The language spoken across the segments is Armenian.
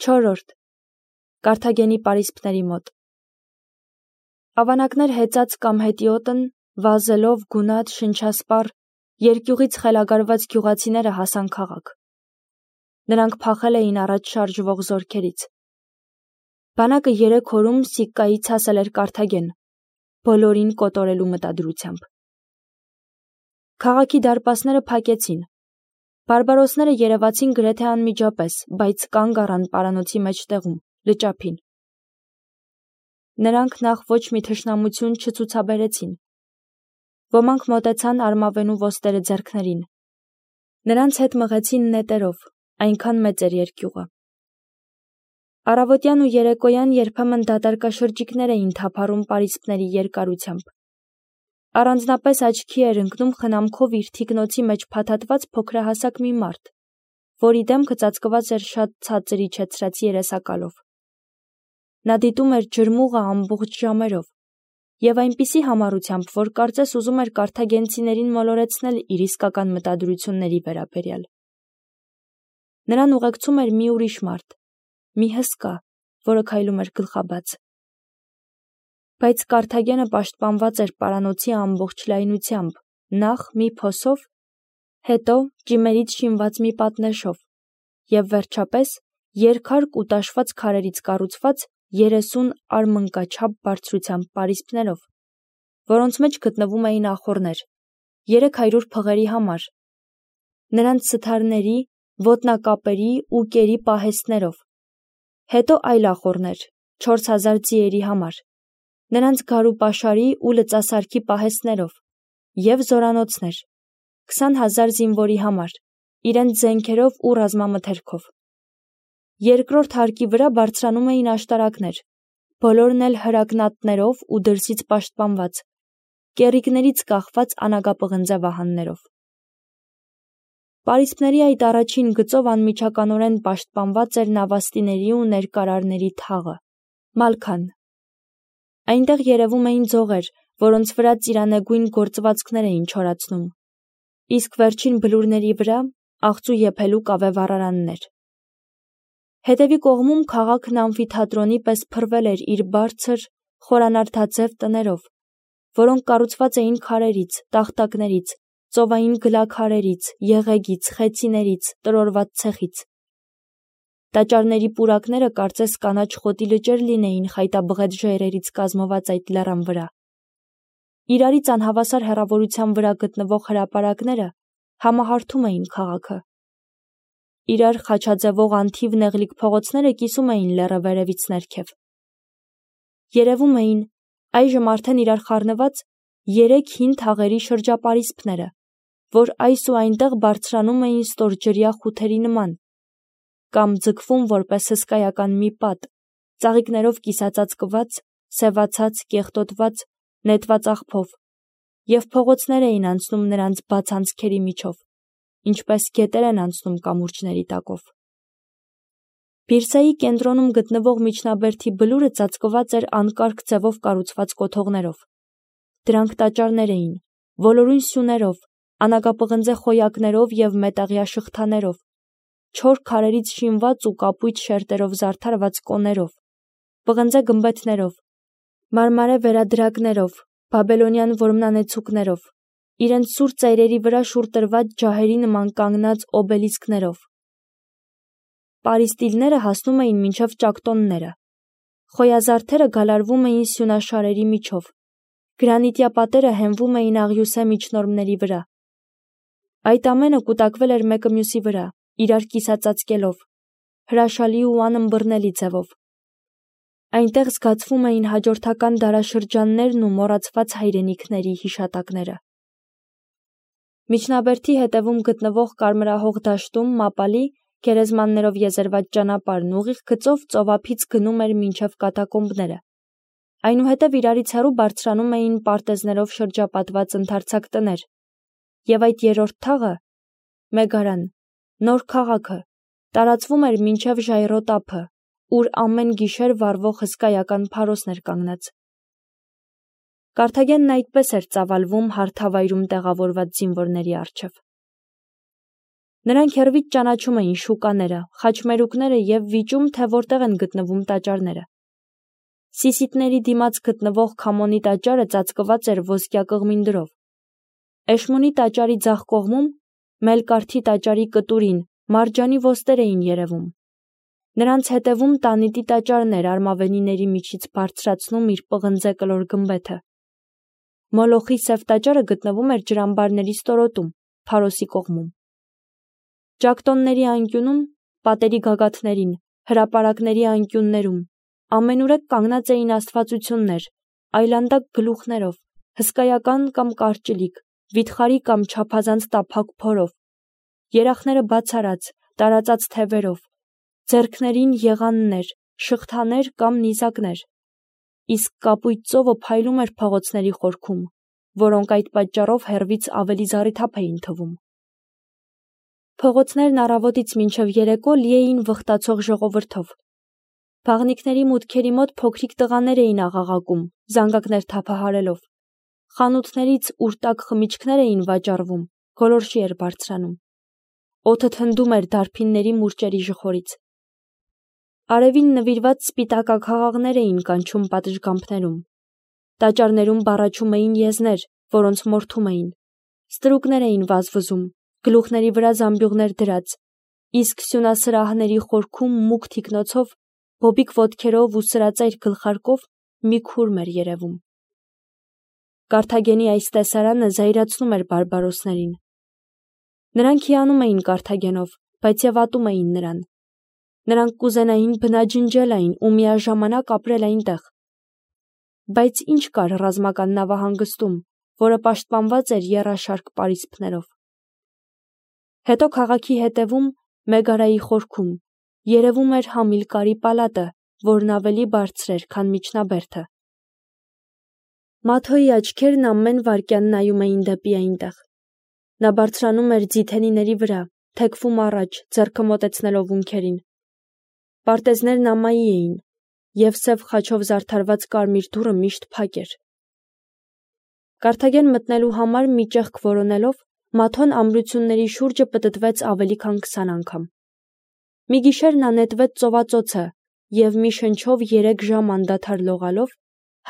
4. Կարթագենի պարիսպների մոտ։ Ավանակներ հեծած կամ հետիոտն, վազելով, գունատ, շնչասպառ, երկյուղից խելագարված գյուղացիները հասան քաղաք։ Նրանք փախել էին առաջ շարժվող զորքերից։ Բանակը 3 օրում Սիկկայից հասել էր Կարթագեն, բոլորին կոտորելու մտադրությամբ։ Քաղաքի դարպասները փակեցին։ Բարբարոսները երևացին գրեթե անմիջապես, բայց կանգ առան պարանոցի մեջտեղում, լճափին։ Նրանք նախ ոչ մի թշնամություն չցուցաբերեցին։ Ոմանք մոտեցան արմավենու ոստերը ձեռքներին։ Նրանց հետ մղեցին նետերով, այնքան մեծ էր երկյուղը։ Առավոտյան ու երեկոյան երբեմն դատարկաշրջիկներ էին թափառում պարիսպների երկարությամբ։ Առանձնապես աչքի էր ընկնում խնամքով իր թիկնոցի մեջ փաթաթված փոքրահասակ մի մարդ, որի դեմքը ծածկված էր շատ ցածր իջեցրած երեսակալով։ Նա դիտում էր ջրմուղը ամբողջ ժամերով և այնպիսի համառությամբ, որ կարծես ուզում էր կարթագենցիներին մոլորեցնել իր իսկական մտադրությունների վերաբերյալ։ Նրան ուղեկցում էր մի ուրիշ մարդ, մի հսկա, որը քայլում էր գլխաբաց։ Բայց Կարթագենը պաշտպանված էր պարանոցի ամբողջ լայնությամբ, նախ մի փոսով, հետո ճիմերից շինված մի պատնեշով և վերջապես երկհարկ ու տաշված քարերից կառուցված 30 արմնկաչափ բարձրությամբ պարիսպներով, որոնց մեջ գտնվում էին ախոռներ 300 փղերի համար, նրանց սթարների, ոտնակապերի ու կերի պահեստներով, հետո այլ ախոռներ 4000 ձիերի համար, նրանց գարու-պաշարի ու լծասարքի պահեստներով և զորանոցներ 20,000 զինվորի համար, իրենց զենքերով ու ռազմամթերքով։ Երկրորդ հարկի վրա բարձրանում էին աշտարակներ, բոլորն էլ հրակնատներով ու դրսից պաշտպանված, կեռիկներից կախված անագապղնձե վահաններով։ Պարիսպների այդ առաջին գծով անմիջականորեն պաշտպանված էր նավաստիների ու ներկարարների թաղը, մալքան։ Այնտեղ երևում էին ձողեր, որոնց վրա ծիրանեգույն գործվածքներ էին չորացնում, իսկ վերջին բլուրների վրա աղծու եփելու կավե-վառարաններ։ Հետևի կողմում քաղաքն ամֆիթատրոնի պես փռվել էր իր բարձր, խորանարդաձև տներով, որոնք կառուցված էին քարերից, տախտակներից, ծովային գլաքարերից, եղեգից, խեցիներից, տրորված ցեխից։ Տաճարների պուրակները կարծես կանաչ խոտի լճեր լինեին խայտաբղետ ժայռերից կազմված այդ լեռան վրա։ Իրարից անհավասար հեռավորության վրա գտնվող հրապարակները համահարթում էին քաղաքը։ Իրար խաչաձևող անթիվ նեղլիկ փողոցները կիսում էին լեռը վերևից ներքև։ Երևում էին, այժմ արդեն իրար խառնված, 3 հին թաղերի շրջապարիսպները, որ այս ու այնտեղ բարձրանում էին ստորջրյա խութերի նման, կամ ձգվում որպես հսկայական մի պատ, ծաղիկներով կիսածածկված, սևացած, կեղտոտված, նետված աղփով, և փողոցներ էին անցնում նրանց բաց անցքերի միջով, ինչպես գետեր են անցնում կամուրջների տակով։ Բիրսայի կենտրոնում գտնվող միջնաբերդի բլուրը ծածկված էր անկարգ ձևով կառուցված կոթողներով։ Դրանք տաճարներ էին, ոլորուն սյուներով, անագապղնձե խոյակներով և մետաղյա շղթաներով, չոր քարերից շինված ու կապույտ շերտերով զարդարված կոներով, պղնձե գմբեթներով, մարմարե վերադրակներով, բաբելոնյան որմնանեցուկներով, իրենց սուր ծայրերի վրա շուռ տրված ջահերի նման կանգնած օբելիսկներով։ Պարիստիլները հասնում էին մինչև ճակտոնները։ Խոյազարդերը գալարվում էին սյունաշարերի միջով։ Գրանիտյա պատերը հենվում էին աղյուսե միջնորմների վրա։ Այդ ամենը կուտակվել էր մեկը մյուսի վրա, իրար կիսածածկելով, հրաշալի ու անըմբռնելի ձևով։ Այնտեղ զգացվում էին հաջորդական դարաշրջաններն ու մոռացված հայրենիքների հիշատակները։ Միջնաբերդի հետևում գտնվող կարմրահող դաշտում մապալի, գերեզմաններով եզերված ճանապարհն ուղիղ գծով ծովափից գնում էր մինչև կատակոմբները։ Այնուհետև իրարից հեռու բարձրանում էին պարտեզներով շրջապատված ընդարձակ տներ, և այդ երրորդ թաղը՝ Մեգարան, նոր քաղաքը, տարածվում էր մինչև Ժայռոտ ափը, ուր ամեն գիշեր վառվող հսկայական փարոսն էր կանգնած։ Կարթագենն այդպես էր ծավալվում հարթավայրում տեղավորված զինվորների առջև։ Նրանք հեռվից ճանաչում էին շուկաները, խաչմերուկները և վիճում, թե որտեղ են գտնվում տաճարները։ Սիսիթների դիմաց գտնվող Քամոնի տաճարը ծածկված էր ոսկյա կղմինդրով։ Էշմունի տաճարի ձախ կողմում, Մելկարթի տաճարի կտուրին, մարջանի ոստեր էին երևում։ Նրանց հետևում Տանիտի տաճարն էր արմավենիների միջից բարձրացնում իր պղնձե կլոր գմբեթը։ Մոլոխի սև տաճարը գտնվում էր ջրամբարների ստորոտում, Փարոսի կողմում։ Ճակտոնների անկյունում, պատերի գագաթներին, հրապարակների անկյուններում ամենուրեք կանգնած էին աստվածություններ, այլանդակ գլուխներով, հսկայական կամ կարճլիկ, վիթխարի կամ չափազանց տափակ փորով, երախները բացառած, տարածած թևերով, ձեռքներին եղաններ, շղթաներ կամ նիզակներ, իսկ կապույտ ծովը փայլում էր փողոցների խորքում, որոնք այդ պատճառով հեռվից ավելի զառիթափ էին թվում։ Փողոցներն առավոտից մինչև երեկո լի էին վխտացող ժողովրդով։ Բաղնիքների մուտքերի մոտ փոքրիկ տղաներ էին աղաղակում, զանգակներ թափահարելով։ Խանութներից ուր տաք խմիչքներ էին վաճառվում, գոլորշի էր բարձրանում։ Օդը թնդում էր դարբինների մուրճերի ժխորից։ Արևին նվիրված սպիտակաքաղաղներ էին կանչում պատշգամբներում։ Տաճարներում բառաչում էին եզներ, որոնց մորթում էին։ Ստրուկներ էին վազվզում, գլուխների վրա զամբյուղներ դրած, իսկ սյունասրահների խորքում մուգ թիկնոցով, բոբիկ ոտքերով ու սրածայր գլխարկով մի քուրմ էր երևում։ Կարթագենի այս տեսարանը զայրացնում էր բարբարոսներին։ Նրանք հիանում էին Կարթագենով, բայց և ատում էին նրան։ Նրանք կուզենային բնաջնջել այն ու միաժամանակ ապրել այնտեղ։ Բայց ինչ կար ռազմական նավահանգստում, որը պաշտպանված էր եռաշարք պարիսպներով։ Հետո քաղաքի հետևում, Մեգարայի խորքում, երևում էր Համիլկարի պալատը, որն ավելի բարձր էր, քան միջնաբերդը։ Մաթոյի աչքերն ամեն վայրկյան նայում էին դեպի այնտեղ։ Նա բարձրանում էր ձիթենիների վրա, թեքվում առաջ, ձեռքը մոտեցնելով ունքերին։ Պարտեզներն ամայի էին, և սև խաչով զարդարված կարմիր դուռը միշտ փակ էր։ Կարթագեն մտնելու համար մի ճեղք որոնելով, Մաթոն ամրությունների շուրջը պտտվեց ավելի քան 20 անգամ։ Մի գիշեր նա նետվեց ծովածոցը և մի շնչով 3 ժամ անդադար լողալով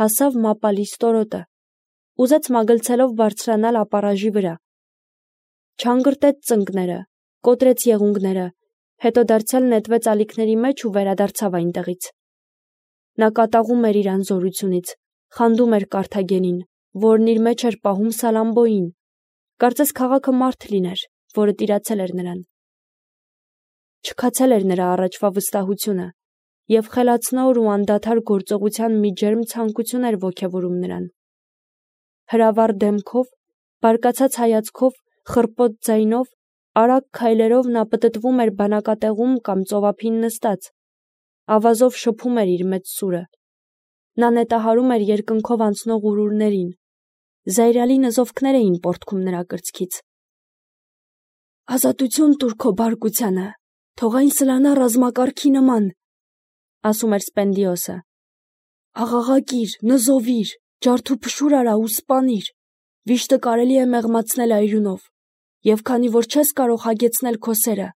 հասավ Մապալի ստորոտը, ուզեց մագլցելով բարձրանալ ապառաժի վրա։ Չանգրտեց ծնկները, կոտրեց եղունգները, հետո դարձյալ նետվեց ալիքների մեջ ու վերադարձավ այնտեղից։ Նա կատաղում էր իր անզորությունից, խանդում էր Կարթագենին, որն իր մեջ էր պահում Սալամբոյին, կարծես քաղաքը մարդ լիներ, որը տիրացել էր նրան։ Չքացել էր նրա առաջվա վստահությունը, և խելացնոր ու անդադար գործողության մի ջերմ ցանկություն էր ոգևորում նրան։ Հրավառ դեմքով, բարկացած հայացքով, խռպոտ ձայնով, արագ քայլերով նա պտտվում էր բանակատեղում կամ ծովափին նստած, ավազով շփում էր իր մեծ սուրը։ Նա նետահարում էր երկնքով անցնող ուրուրներին, զայրալի նզովքներ էին պոռթկում նրա կրծքից։ «Ազատություն տուր քո բարկությանը, թող այն սլանա ռազմակարգի նման», ասում էր Սպենդիոսը։ «Աղաղակիր, նզովիր, ջարդուփշուր արա ու սպանիր, վիշտը կարելի է մեղմացնել այրունով, և քանի որ չես կարող հագեցնել քո սերը,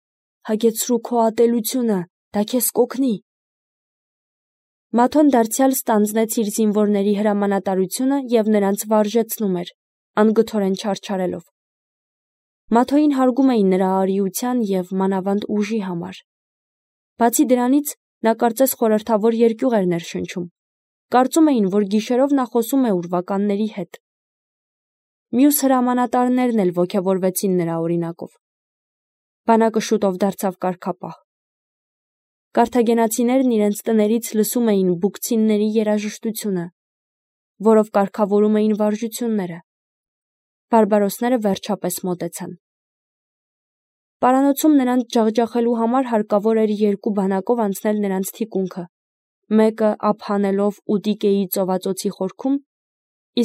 հագեցրու քո ատելությունը, դա քեզ կօգնի»։ Մաթոն դարձյալ ստանձնեց իր զինվորների հրամանատարությունը և նրանց վարժեցնում էր, անգթորեն չարչարելով։ Մաթոյին հարգում էին նրա արիության և մանավանդ ուժի համար։ Բացի դրանից, նա կարծես խորհրդավոր երկյուղ էր ներշնչում։ Կարծում էին, որ գիշերով նա խոսում է ուրվականների հետ։ Մյուս հրամանատարներն էլ ոգևորվեցին նրա օրինակով։ Բանակը շուտով դարձավ կարգապահ։ Կարթագենացիներն իրենց տներից լսում էին բուկցինների երաժշտությունը, որով կարգավորում էին վարժությունները։ Բարբարոսները վերջապես մոտեցան։ Պարանոցում նրանց ջախջախելու համար հարկավոր էր 2 բանակով անցնել նրանց թիկունքը, մեկը ափ հանելով Ուտիկեի ծովածոցի խորքում,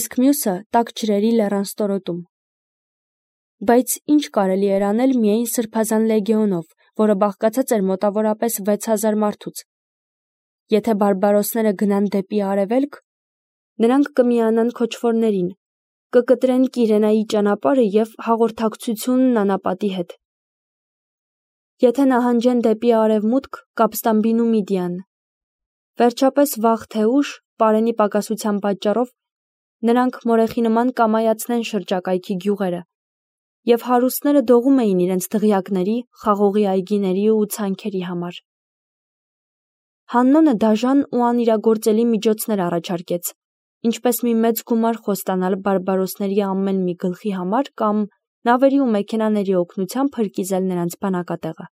իսկ մյուսը տաք ջրերի լեռան ստորոտում։ Բայց ինչ կարելի էր անել միայն սրբազան լեգիոնով, որը բաղկացած էր մոտավորապես 6000 մարդուց։ Եթե բարբարոսները գնան դեպի արևելք, նրանք կմիանան քոչվորներին, կկտրեն Կիրենայի ճանապարհը և հաղորդակցությունն անապատի հետ։ եթե նահանջեն դեպի արևմուտք, կապստամբին ու Միդիան։ Վերջապես վաղ թե ուշ, պարենի պակասության պատճառով, նրանք մորեխի նման կամայացնեն շրջակայքի գյուղերը, և հարուստները դողում էին իրենց դղյակների, խաղողի այգիների ու ցանքերի համար։ Հաննոնը դաժան ու անիրագործելի միջոցներ առաջարկեց, ինչպես մի մեծ գումար խոստանալ բարբարոսների ամեն մի գլխի համար կամ նավերի ու մեքենաների օգնությամբ հրկիզել նրանց բնակատեղը։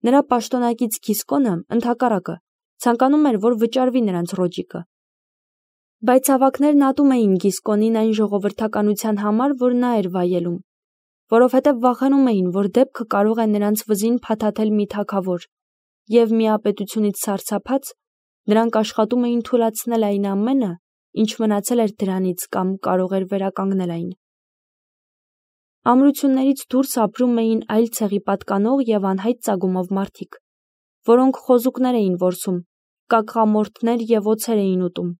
Նրա պաշտոնակից Գիսկոնը, ընդհակառակը, ցանկանում էր, որ վճարվի նրանց ռոճիկը։ Բայց ավագներն ատում էին Գիսկոնին այն ժողովրդականության համար, որ նա էր վայելում, որովհետև վախենում էին, որ դեպքը կարող է նրանց վզին փաթաթել մի թագավոր, և միապետությունից սարսափած, նրանք աշխատում էին թուլացնել այն ամենը, ինչ մնացել էր դրանից կամ կարող էր վերականգնել այն։ Ամրություններից դուրս ապրում էին այլ ցեղի պատկանող և անհայտ ծագումով մարդիկ, որոնք խոզուկներ էին որսում, կակղամորթներ և օձեր էին ուտում։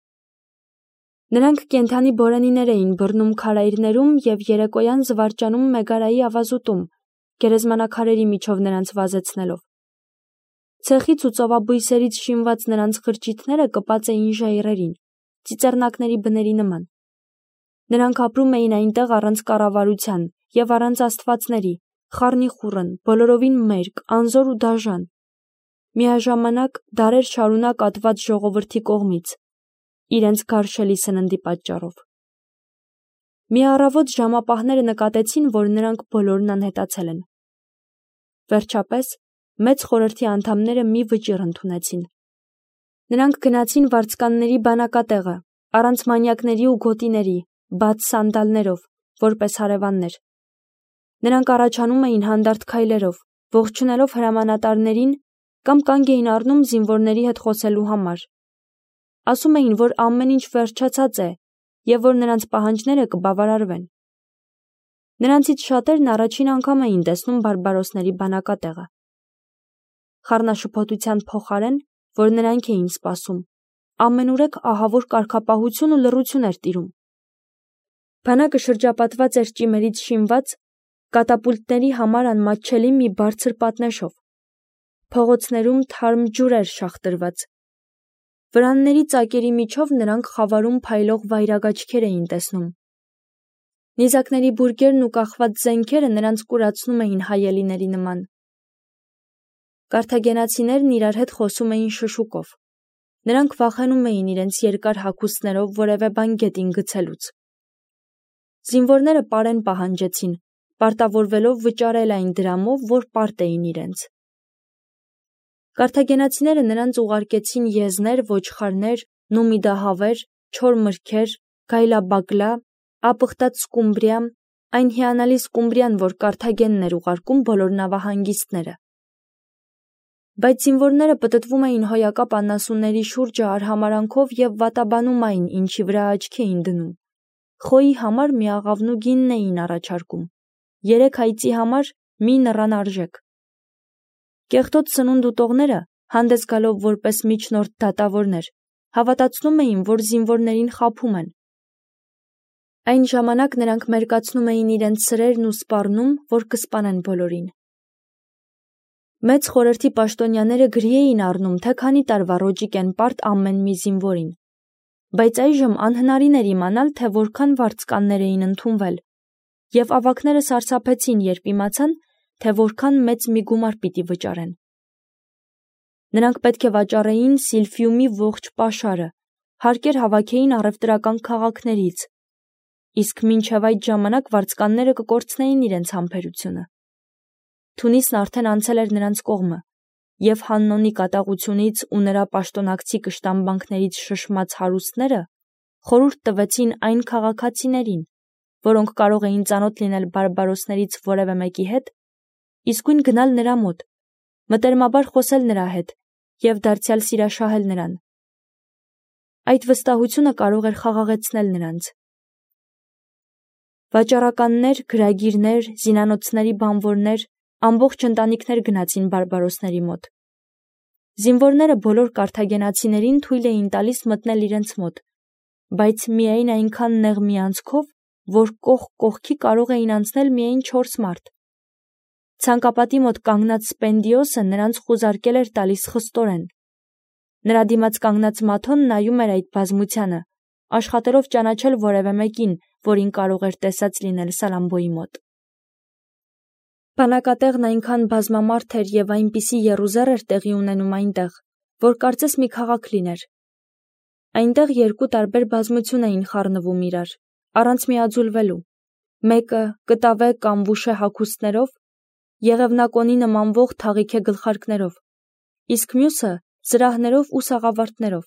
Նրանք կենդանի բորենիներ էին բռնում քարայրներում և երեկոյան զվարճանում մեգարայի ավազուտում, գերեզմանակարերի միջով նրանց վազեցնելով։ Ցեխից ու ծովաբույսերից շինված նրանց խրճիթները կպած էին ժայռերին, ծիծեռնակների բների նման։ Նրանք ապրում էին այնտեղ առանց կառավարության և առանց աստվածների, խառնիխուռն, բոլորովին մերկ, անզոր ու դաժան, միաժամանակ դարեր շարունակ ատված ժողովրդի կողմից, իրենց գարշելի սննդի պատճառով։ Մի առավոտ ժամապահները նկատեցին, որ նրանք բոլորն անհետացել են։ Վերջապես, մեծ խորհրդի անդամները մի վճիռ ընդունեցին։ Նրանք գնացին վարձկանների բանակատեղը, առանց մանյակների ու գոտիների, բաց սանդալներով, որպես հարևաններ։ Նրանք առաջանում էին հանդարտ քայլերով, ողջունելով հրամանատարներին կամ կանգ էին առնում զինվորների հետ խոսելու համար։ Ասում էին, որ ամեն ինչ վերջացած է և որ նրանց պահանջները կբավարարվեն։ Նրանցից շատերն առաջին անգամ էին տեսնում բարբարոսների բանակատեղը։ Խառնաշփոթության փոխարեն, որ նրանք էին սպասում, ամենուրեք ահավոր կարգապահություն ու լռություն էր տիրում։ Բանակը շրջապատված էր ճիմերից շինված, կատապուլտների համար անմատչելի մի բարձր պատնեշով։ Փողոցներում թարմ ջուր էր շախտրված։ Վրանների ծակերի միջով նրանք խավարում փայլող վայրագաչքեր էին տեսնում։ Նիզակների բուրգերն ու կախված զենքերը նրանց կուրացնում էին հայելիների նման։ Կարթագենացիներն իրար հետ խոսում էին շշուկով։ Նրանք վախենում էին իրենց երկար հագուստներով որևէ բան գետին գցելուց։ Զինվորները պարեն պահանջեցին, պարտավորվելով վճարել այն դրամով, որ պարտ էին իրենց։ Կարթագենացիները նրանց ուղարկեցին եզներ, ոչխարներ, նումիդահավեր, չոր մրգեր, գայլաբակլա, ապխտած սկումբրիա, այն հիանալի սկումբրիան, որ Կարթագենն էր ուղարկում բոլոր նավահանգիստները։ Բայց զինվորները պտտվում էին հոյակապ անասունների շուրջը արհամարանքով և վատաբանում այն, ինչի վրա աչքի էին դնում։ Խոյի համար մի աղավնու գինն էին առաջարկում, 3 այծի համար մի նռան արժեք։ Կեղտոտ սնունդ ուտողները, հանդես գալով որպես միջնորդ դատավորներ, հավատացնում էին, որ զինվորներին խաբում են։ Այն ժամանակ նրանք մերկացնում էին իրենց սրերն ու սպառնում, որ կսպանեն բոլորին։ Մեծ խորհրդի պաշտոնյաները գրի էին առնում, թե քանի տարվա ռոճիկ են պարտ ամեն մի զինվորին, բայց այժմ անհնարին էր իմանալ, թե որքան վարձկաններ էին ընդունվել, և ավագները սարսափեցին, երբ իմացան, թե որքան մեծ մի գումար պիտի վճարեն։ Նրանք պետք է վաճառեին Սիլֆիումի ողջ պաշարը, հարկեր հավաքեին առևտրական քաղաքներից, իսկ մինչև այդ ժամանակ վարձկանները կկորցնեին իրենց համբերությունը։ Թունիսն արդեն անցել էր նրանց կողմը, և Հաննոնի կատաղությունից ու նրա պաշտոնակցի կշտամբանքներից շշմած հարուստները խորհուրդ տվեցին այն քաղաքացիներին, որոնք կարող էին ծանոթ լինել բարբարոսներից որևէ մեկի հետ, իսկույն գնալ նրա մոտ, մտերմաբար խոսել նրա հետ և դարձյալ սիրաշահել նրան։ Այդ վստահությունը կարող էր խաղաղեցնել նրանց։ Վաճառականներ, գրագիրներ, զինանոցների բանվորներ, ամբողջ ընտանիքներ գնացին բարբարոսների մոտ։ Զինվորները բոլոր կարթագենացիներին թույլ էին տալիս մտնել իրենց մոտ, բայց միայն այնքան նեղ մի անցքով, որ կողք կողքի կարող էին անցնել միայն 4 մարդ։ Ցանկապատի մոտ կանգնած Սպենդիոսը նրանց խուզարկել էր տալիս խստորեն։ Նրա դիմաց կանգնած Մաթոն նայում էր այդ բազմությանը, աշխատելով ճանաչել որևէ մեկին, որին կարող էր տեսած լինել Սալամբոյի մոտ։ Բանակատեղն այնքան բազմամարդ էր և այնպիսի եռուզեռ էր տեղի ունենում այնտեղ, որ կարծես մի քաղաք լիներ։ Այնտեղ երկու տարբեր բազմություն էին խառնվում իրար, առանց միաձուլվելու։ Մեկը կտավե կամ վուշե հագուստներով, եղևնակոնի նմանվող թաղիքե գլխարկներով, իսկ մյուսը զրահներով ու սաղավարտներով։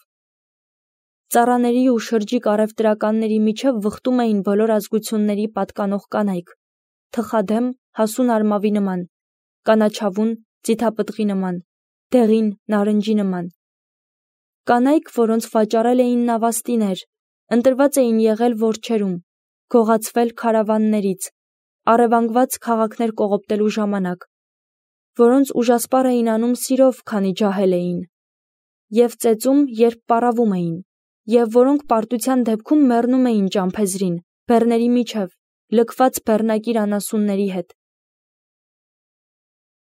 Ծառաների ու շրջիկ առևտրականների միջև վխտում էին բոլոր ազգությունների պատկանող կանայք, թխադեմ, հասուն արմավի նման, կանաչավուն, ձիթապտղի նման, դեղին, նարնջի նման։ Կանայք, որոնց վաճառել էին նավաստիներ, ընտրված էին եղել որջերում, գողացվել քարավաններից, առևանգված քաղաքներ կողոպտելու ժամանակ, որոնց ուժասպառ էին անում սիրով, քանի ջահել էին, և ծեծում, երբ պառավում էին, և որոնք պարտության դեպքում մեռնում էին ճամփեզրին, բեռների միջև, լքված բեռնակիր անասունների հետ։